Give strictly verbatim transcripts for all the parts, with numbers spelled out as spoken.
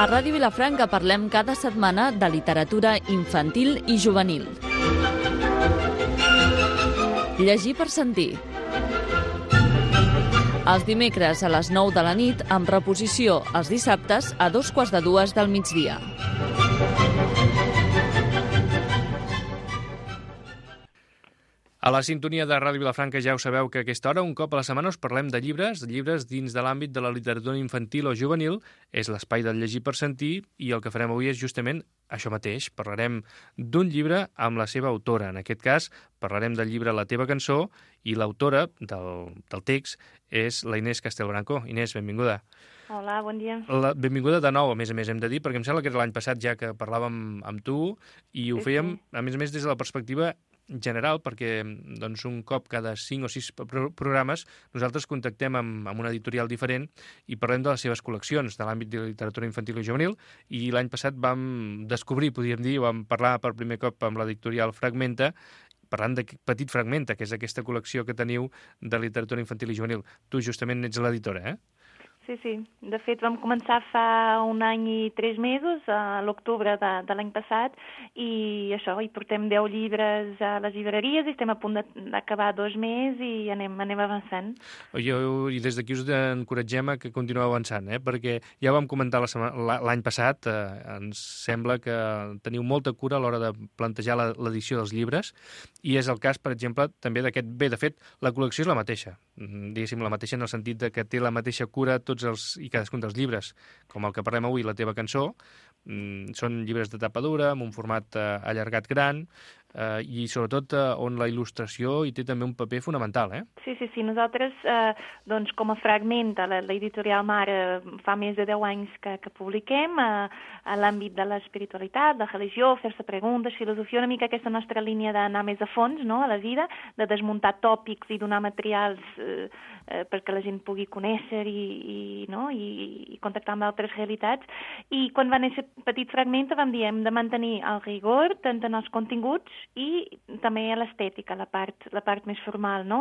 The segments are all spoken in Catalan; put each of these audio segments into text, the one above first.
A Ràdio Vilafranca parlem cada setmana de literatura infantil i juvenil. Llegir per sentir. Els dimecres a les nou de la nit, amb reposició els dissabtes a dos quarts de dues del migdia. A la sintonia de Ràdio Vilafranca ja ho sabeu que a aquesta hora, un cop a la setmana, us parlem de llibres, llibres dins de l'àmbit de la literatura infantil o juvenil. És l'espai del llegir per sentir i el que farem avui és justament això mateix. Parlarem d'un llibre amb la seva autora. En aquest cas, parlarem del llibre La teva cançó i l'autora del, del text és la Inés Castelbranco. Inés, benvinguda. Hola, bon dia. La, benvinguda de nou, a més a més, hem de dir, perquè em sembla que era l'any passat ja que parlàvem amb tu i ho Sí, fèiem, sí. a més a més, des de la perspectiva general, perquè doncs, un cop cada cinc o sis pro programes nosaltres contactem amb, amb una editorial diferent i parlem de les seves col·leccions de l'àmbit de literatura infantil i juvenil, i l'any passat vam descobrir, podríem dir, vam parlar per primer cop amb l'editorial Fragmenta, parlant de Petit Fragmenta, que és aquesta col·lecció que teniu de literatura infantil i juvenil. Tu justament ets l'editora, eh? Sí, sí. De fet, vam començar fa un any i tres mesos, a l'octubre de, de l'any passat, i això, hi portem deu llibres a les llibreries i estem a punt d'acabar dos més i anem, anem avançant. Jo, I des d'aquí us encoratgem a que continueu avançant, eh? Perquè ja ho vam comentar l'any passat, eh, ens sembla que teniu molta cura a l'hora de plantejar l'edició dels llibres, i és el cas, per exemple, també d'aquest... Bé, de fet, la col·lecció és la mateixa, diguéssim, la mateixa en el sentit de que té la mateixa cura tots els i cadascun dels llibres, com el que parlem avui, La teva cançó. Mm, són llibres de tapa dura, amb un format eh, allargat gran, eh, i sobretot eh, on la il·lustració hi té també un paper fonamental, eh? Sí, sí, sí. Nosaltres, eh, doncs, com a Fragment, l'editorial Mare, fa més de deu anys que, que publiquem eh, a l'àmbit de l'espiritualitat, de religió, fer-se preguntes, filosofia, una mica aquesta nostra línia d'anar més a fons, no?, a la vida, de desmuntar tòpics i donar materials eh, eh, perquè la gent pugui conèixer i, i, no? I, i contactar amb altres realitats. I quan va néixer Petit Fragment vam dir hem de mantenir el rigor tant en els continguts i també l'estètica, la part, la part més formal, no?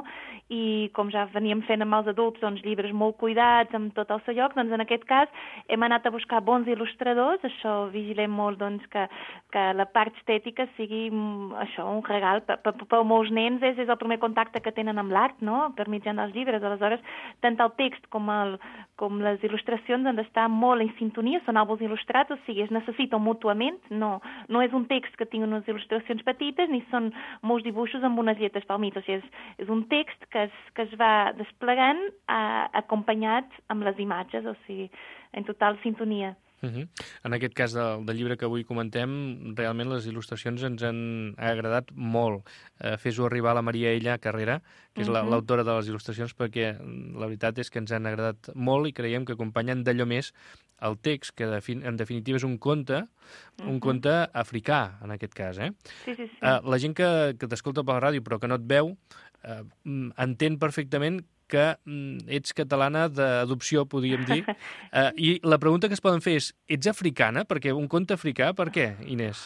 I com ja veníem fent amb els adults, doncs llibres molt cuidats, amb tot el seu lloc, doncs en aquest cas hem anat a buscar bons il·lustradors, això vigilem molt, doncs, que, que la part estètica sigui això, un regal per, per, per molts nens, és, és el primer contacte que tenen amb l'art, no?, per mitjà dels llibres. Aleshores, tant el text com, el, com les il·lustracions han d'estar molt en sintonia, són àlbums il·lustrats, o sigui, es necessiten mútuament, no, no és un text que tingui unes il·lustracions petites, ni són molts dibuixos amb unes lletres pel mig, o sigui, és, és un text que es, que es va desplegant eh, acompanyat amb les imatges, o sigui, en total sintonia. Uh-huh. En aquest cas del, del llibre que avui comentem, realment les il·lustracions ens han agradat molt. Eh, Fes-ho arribar a la Maria Ella Carrera, que és uh-huh. l'autora de les il·lustracions, perquè la veritat és que ens han agradat molt i creiem que acompanyen d'allò més el text, que en definitiva és un conte, uh-huh. un conte africà, en aquest cas. Eh? Sí, sí, sí. Eh, la gent que, que t'escolta per la ràdio però que no et veu, eh, entén perfectament que ets catalana d'adopció, podríem dir. Uh, I la pregunta que es poden fer és, ets africana? Perquè un conte africà, per què, Inés?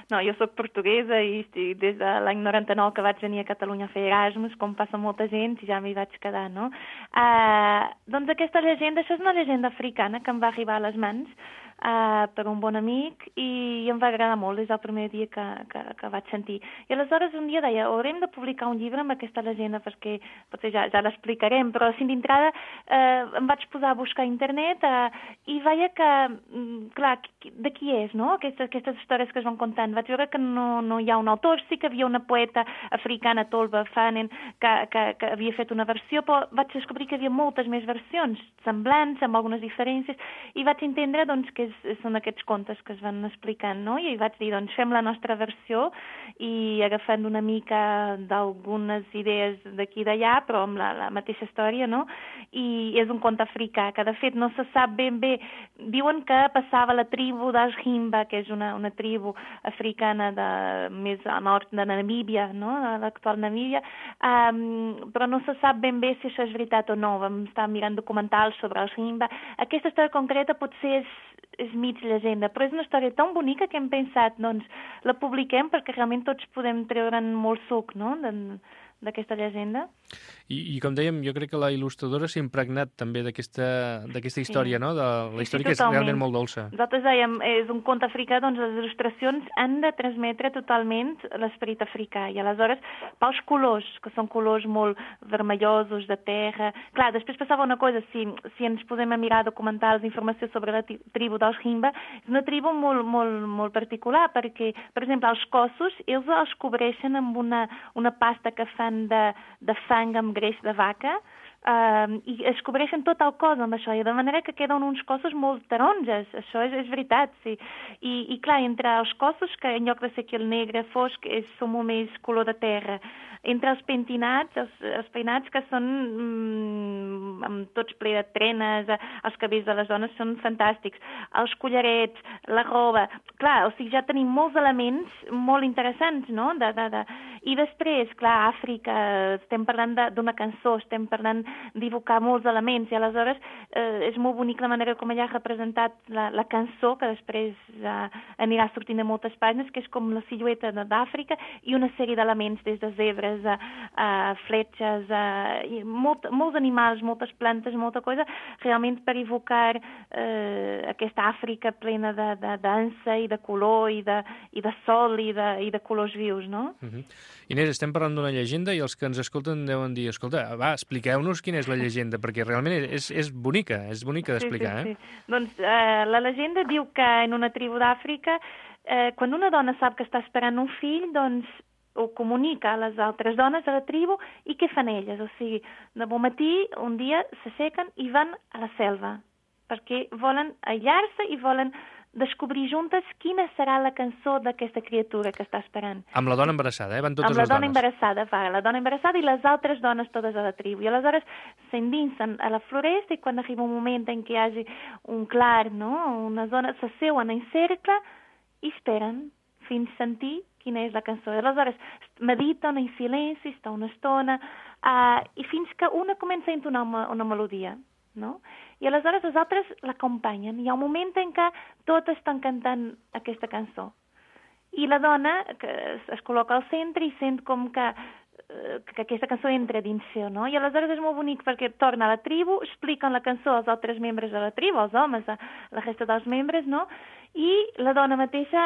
No, jo sóc portuguesa i des de l'any noranta-nou que vaig venir a Catalunya a fer Erasmus, com passa molta gent, i ja m'hi vaig quedar, no? Uh, doncs aquesta llegenda, això és una llegenda africana que em va arribar a les mans uh, per un bon amic i em va agradar molt, des del primer dia que, que, que vaig sentir. I aleshores un dia deia, haurem de publicar un llibre amb aquesta llegenda perquè potser ja, ja l'explicarem, però així d'entrada eh, em vaig posar a buscar a internet eh, i veia que, clar, de qui és, no?, aquestes, aquestes històries que es van contant. Vaig veure que no, no hi ha un autor, sí que havia una poeta africana, Tolba Fanen, que, que, que havia fet una versió, però vaig descobrir que hi havia moltes més versions semblants, amb algunes diferències, i vaig entendre doncs, que és, són aquests contes que es van explicant, no? I vaig dir, doncs, fem la nostra versió i agafant una mica d'algunes idees d'aquí i d'allà, però amb la, la mateixa història, no? I és un conte africà, que de fet no se sap ben bé. Diuen que passava la tribu dels Himba, que és una, una tribu africana de, més a nord de Namíbia, no?, l'actual Namíbia, um, però no se sap ben bé si això és veritat o no. Vam estar mirant documentals sobre els Himba. Aquesta història concreta potser és, és mig llegenda, però és una història tan bonica que hem pensat, doncs, la publiquem perquè realment tots podem treure'n molt suc, no?, d'aquesta llegenda. I, I com dèiem, jo crec que la il·lustradora s'ha impregnat també d'aquesta història, sí. no? De la història sí, sí, que és realment molt dolça. Nosaltres dèiem, és un conte africà, doncs les il·lustracions han de transmetre totalment l'esperit africà. I aleshores, pels colors, que són colors molt vermellosos, de terra... Clar, després passava una cosa, si, si ens posem a mirar documentals d'informació sobre la tribu dels Himba, és una tribu molt, molt, molt particular, perquè, per exemple, els cossos, ells els cobreixen amb una, una pasta que fan De, de fang amb greix de vaca uh, i es cobreixen tot el cos amb això, i de manera que queden uns cossos molt taronges, això és, és veritat, sí. I, i clar, entre els cossos, que en lloc de ser aquí el negre fosc, és, són molt més color de terra, entre els pentinats, els, els peinats que són mm, amb tots ple de trenes, els cabells de les dones són fantàstics, els collarets, la roba, clar, o sigui, ja tenim molts elements molt interessants, no? De, de, de... I després, clar, Àfrica, estem parlant d'una cançó, estem parlant d'évocar molts elements, i aleshores eh, és molt bonic la manera com ella ha representat la, la cançó, que després eh, anirà sortint a moltes pàgines, que és com la silueta d'Àfrica, i una sèrie d'elements, des de zebres, a, a fletxes, a, i molt, molts animals, moltes plantes, molta cosa, realment per evocar eh, aquesta Àfrica plena de, de dansa i de color i de, i de sol i de, i de colors vius, no? Uh-huh. Inés, estem parlant d'una llegenda i els que ens escolten deuen dir, escolta, va, expliqueu-nos quina és la llegenda, perquè realment és, és bonica, és bonica d'explicar, sí, sí, eh? Sí. Doncs eh, la llegenda diu que en una tribu d'Àfrica, eh, quan una dona sap que està esperant un fill, doncs ho comunica a les altres dones de la tribu, i què fan elles? O sigui, de bon matí, un dia s'aixequen i van a la selva, perquè volen aïllar-se i volen descobrir juntes quina serà la cançó d'aquesta criatura que està esperant. Amb la dona embarassada, eh? Van totes les dones. Amb la dona embarassada, va, la dona embarassada i les altres dones totes a la tribu. I aleshores s'endinsen a la floresta, i quan arriba un moment en què hi hagi un clar, no?, una zona, s'asseuen en cercle i esperen fins sentir quina és la cançó. I aleshores mediten en silenci, està una estona, uh, i fins que una comença a entonar una, una melodia, no? I aleshores els altres l'acompanyen. Hi ha un moment en què totes estan cantant aquesta cançó. I la dona que es, es col·loca al centre i sent com que, uh, que aquesta cançó entra dins seu, no? I aleshores és molt bonic perquè torna a la tribu, expliquen la cançó als altres membres de la tribu, als homes, a la resta dels membres, no? I la dona mateixa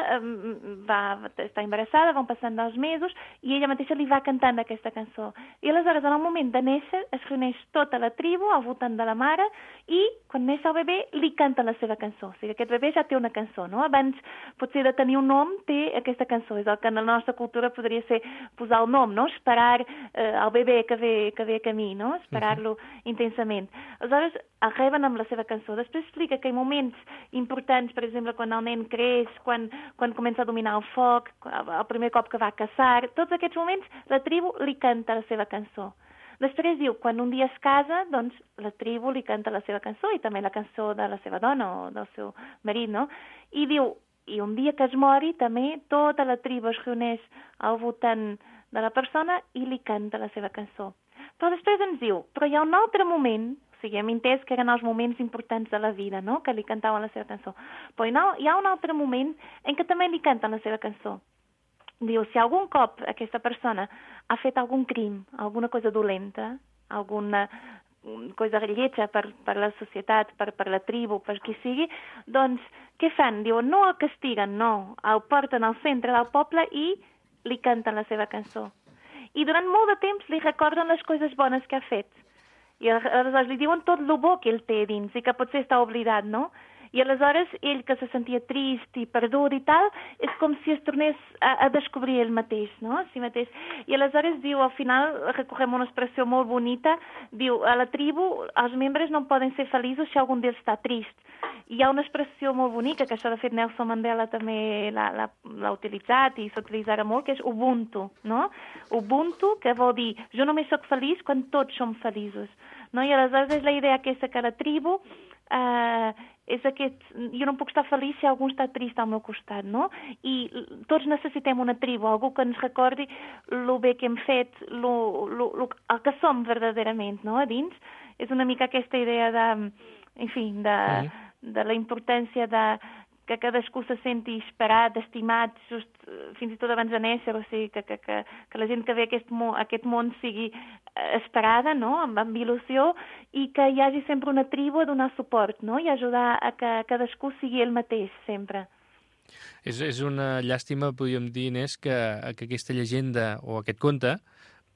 va, està embarassada, van passant dos mesos, i ella mateixa li va cantant aquesta cançó. I aleshores, en el moment de néixer, es reuneix tota la tribu al voltant de la mare, i quan neix el bebè li canta la seva cançó. O sigui, aquest bebè ja té una cançó, no? Abans, potser de tenir un nom, té aquesta cançó. És el que en la nostra cultura podria ser posar el nom, no? Esperar eh, el bebè que ve, que ve a camí, no? Esperar-lo uh-huh. intensament. Aleshores, el reben amb la seva cançó. Després explica que hi ha moments importants, per exemple, quan el nen creix, quan, quan comença a dominar el foc, el primer cop que va a caçar, tots aquests moments la tribu li canta la seva cançó. Després diu, quan un dia es casa, doncs la tribu li canta la seva cançó i també la cançó de la seva dona o del seu marit, no? I diu, i un dia que es mori, també tota la tribu es reuneix al voltant de la persona i li canta la seva cançó. Però després ens diu, però hi ha un altre moment, o sigui, hem entès que eren els moments importants de la vida, no?, que li cantaven la seva cançó. Però hi ha un altre moment en què també li canten la seva cançó. Diu, si algun cop aquesta persona ha fet algun crim, alguna cosa dolenta, alguna cosa lletja per, per la societat, per, per la tribu, per qui sigui, doncs què fan? Diuen, no el castiguen, no, el porten al centre del poble i li canten la seva cançó. I durant molt de temps li recorden les coses bones que ha fet. I aleshores li diuen tot el bo que ell té dins i que potser està oblidat, no? I aleshores ell, que se sentia trist i perdut i tal, és com si es tornés a, a descobrir ell mateix, no? Si mateix. I aleshores diu, al final, recorrem una expressió molt bonita, diu, a la tribu els membres no poden ser feliços si algun d'ells està trist. I hi ha una expressió molt bonica, que això de fet Nelson Mandela també l'ha utilitzat i s'utilitzarà molt, que és Ubuntu, no? Ubuntu, que vol dir, jo només sóc feliç quan tots som feliços, no? I aleshores és la idea aquesta que la tribu eh, és aquest, jo no puc estar feliç si algú està trist al meu costat, no? I tots necessitem una tribu, algú que ens recordi el bé que hem fet, lo, lo, lo, el que som verdaderament, no?, a dins. És una mica aquesta idea de, en fi, de, de la importància de que cadascú se senti esperat, estimat, just, fins i tot abans de néixer, o sigui, que, que, que, que la gent que ve a aquest, mo, aquest món sigui esperada, no?, amb, amb il·lusió, i que hi hagi sempre una tribu a donar suport, no?, i ajudar a que cadascú sigui el mateix, sempre. És, és una llàstima, podríem dir, Inés, que, que aquesta llegenda o aquest conte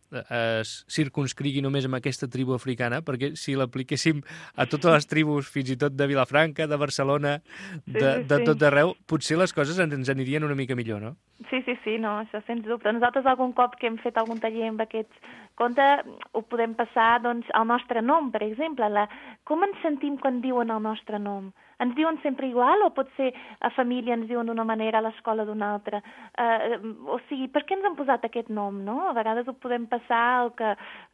es circunscrigui només amb aquesta tribu africana, perquè si l'apliquéssim a totes les tribus, fins i tot de Vilafranca, de Barcelona, de, sí, sí, de tot arreu, potser les coses ens anirien una mica millor, no? Sí, sí, sí, no, això sens dubte. Nosaltres algun cop que hem fet algun taller amb aquests contes ho podem passar, doncs, al nostre nom, per exemple. La... Com ens sentim quan diuen el nostre nom? Ens diuen sempre igual o potser a família ens diuen d'una manera, a l'escola d'una altra? Uh, o sigui, per què ens han posat aquest nom, no? A vegades ho podem passar el que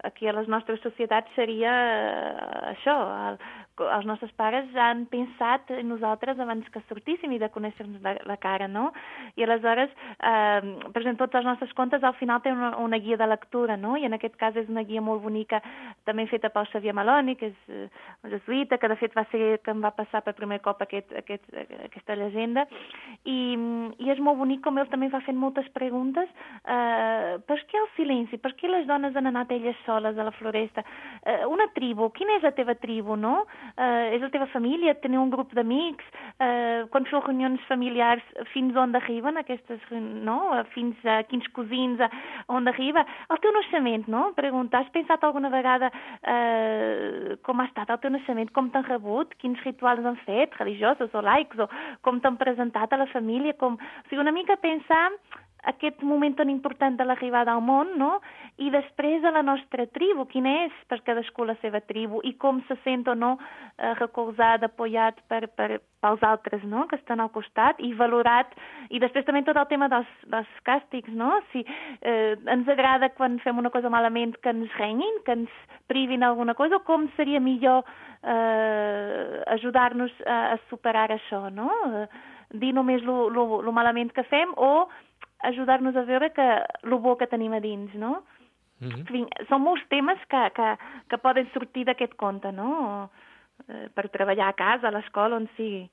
aquí a les nostres societats seria uh, això. El, els nostres pares han pensat en nosaltres abans que sortíssim i de conèixer-nos la, la cara, no? I aleshores, uh, per exemple, tots els nostres contes al final tenen una, una guia de lectura, no? I en aquest cas és una guia molt bonica, també feta pel Xavier Maloni, que és uh, un jesuïta, que de fet va ser que em va passar per primer cop aquest, aquest, aquesta llegenda, i, i és molt bonic com ell també va fent moltes preguntes. Uh, per què el silenci? Per què les dones han anat elles soles a la floresta? Uh, una tribu, quina és la teva tribu, no? Uh, és la teva família? Teniu un grup d'amics? Uh, quan feu reunions familiars, fins on arriben aquestes, no? Fins a quins cosins, a on arriba? El teu naixement, no? Preguntar, has pensat alguna vegada uh, com ha estat el teu naixement? Com t'han rebut? Quins rituals han fet? Religiosos o laics, o com t'han presentat a la família, com... O sigui, una mica pensar aquest moment tan important de l'arribada al món, no? I després a la nostra tribu, quina és per cadascú la seva tribu i com se sent o no eh, recolzat, apoyat per, per, pels altres, no?, que estan al costat i valorat. I després també tot el tema dels, dels càstigs, no? Si eh, ens agrada quan fem una cosa malament que ens renyin, que ens privin alguna cosa, o com seria millor eh, ajudar-nos a, a superar això, no? Eh, dir només lo, lo, lo malament que fem o ajudar-nos a veure que lo bo que tenim a dins, no? Mm-hmm. En fi, són molts temes que, que, que poden sortir d'aquest conte, no? Eh, per treballar a casa, a l'escola, on sigui.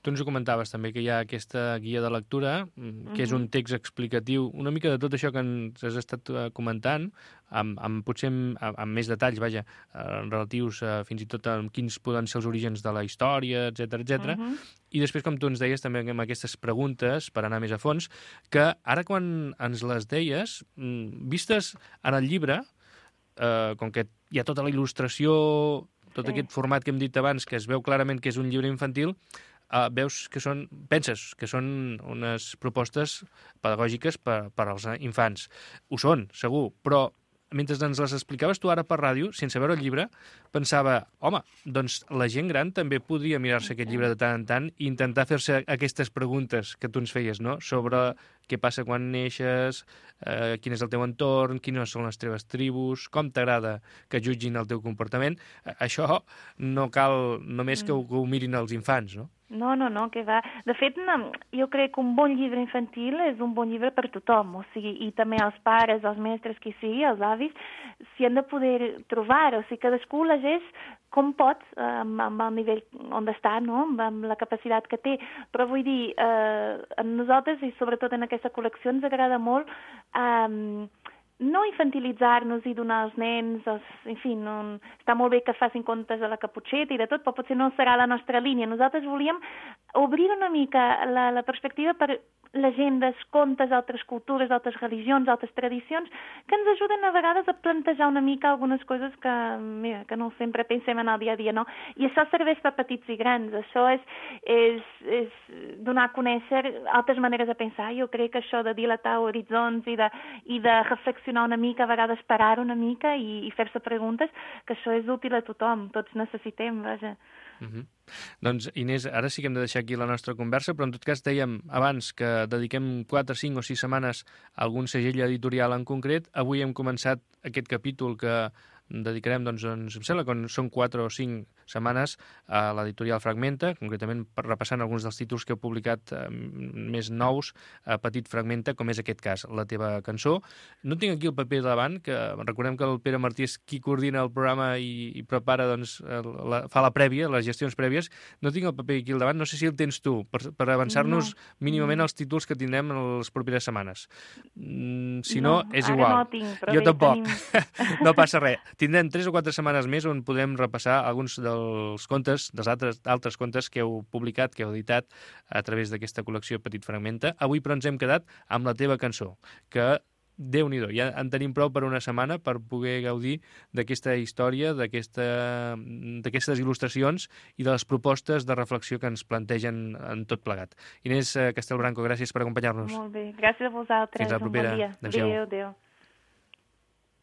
Tu ens ho comentaves també, que hi ha aquesta guia de lectura, que mm-hmm. és un text explicatiu, una mica de tot això que ens has estat comentant, amb, amb potser amb, amb més detalls, vaja, eh, relatius a, fins i tot a quins poden ser els orígens de la història, etcètera, etcètera. Mm-hmm. I després, com tu ens deies, també amb aquestes preguntes, per anar més a fons, que ara quan ens les deies, vistes en el llibre, eh, com que hi ha tota la il·lustració, tot sí. Aquest format que hem dit abans, que es veu clarament que és un llibre infantil, uh, veus que són, penses que són unes propostes pedagògiques per, per als infants. Ho són, segur, però mentre ens les explicaves tu ara per ràdio, sense veure el llibre, pensava, home, doncs la gent gran també podria mirar-se aquest llibre de tant en tant i intentar fer-se aquestes preguntes que tu ens feies, no?, sobre què passa quan neixes, eh, quin és el teu entorn, quines són les teves tribus, com t'agrada que jutgin el teu comportament. Això no cal només que ho, que ho mirin els infants, no? No, no, no, que va. De fet, no, jo crec que un bon llibre infantil és un bon llibre per tothom, o sigui, i també els pares, els mestres, qui sigui, els avis, s'hi han de poder trobar, o sigui, cadascú llegeix com pot, amb, amb el nivell on està, no?, amb, amb la capacitat que té. Però vull dir, eh, a nosaltres, i sobretot en aquesta col·lecció, ens agrada molt eh, no infantilitzar-nos i donar als nens, els, en fi, no, està molt bé que facin contes a la caputxeta i de tot, però potser no serà la nostra línia. Nosaltres volíem obrir una mica la, la perspectiva per llegendes, contes, altres cultures, altres religions, altres tradicions, que ens ajuden a vegades a plantejar una mica algunes coses que, mira, que no sempre pensem en el dia a dia, no? I això serveix per petits i grans. Això és, és, és donar a conèixer altres maneres de pensar. Jo crec que això de dilatar horitzons i de, i de reflexionar una mica, a vegades parar una mica i, i fer-se preguntes, que això és útil a tothom. Tots necessitem, vaja. Mm-hmm. Doncs, Inés, ara sí que hem de deixar aquí la nostra conversa, però en tot cas dèiem abans que dediquem quatre, cinc o sis setmanes a algun segell editorial en concret. Avui hem començat aquest capítol que dedicarem, doncs, ens, em sembla que són quatre o cinc setmanes a l'editorial Fragmenta, concretament repassant alguns dels títols que heu publicat eh, més nous a Petit Fragmenta, com és aquest cas, La teva cançó. No tinc aquí el paper davant, que recordem que el Pere Martí és qui coordina el programa i, i prepara, doncs, la, fa la prèvia, les gestions prèvies. No tinc el paper aquí al davant, no sé si el tens tu, per, per avançar-nos no. mínimament els títols que tindrem en les properes setmanes. Mm, si no, no, és igual. No tinc, jo tampoc. Tenim... no passa res. Tindrem tres o quatre setmanes més on podem repassar alguns dels contes, dels altres, altres contes que heu publicat, que heu editat a través d'aquesta col·lecció Petit Fragmenta. Avui, però, ens hem quedat amb La teva cançó, que Déu-n'hi-do, ja en tenim prou per una setmana per poder gaudir d'aquesta història, d'aquestes il·lustracions i de les propostes de reflexió que ens plantegen en tot plegat. Inés Castelbranco, gràcies per acompanyar-nos. Molt bé, gràcies a vosaltres. Fins la propera. Un bon dia. Adéu, adéu.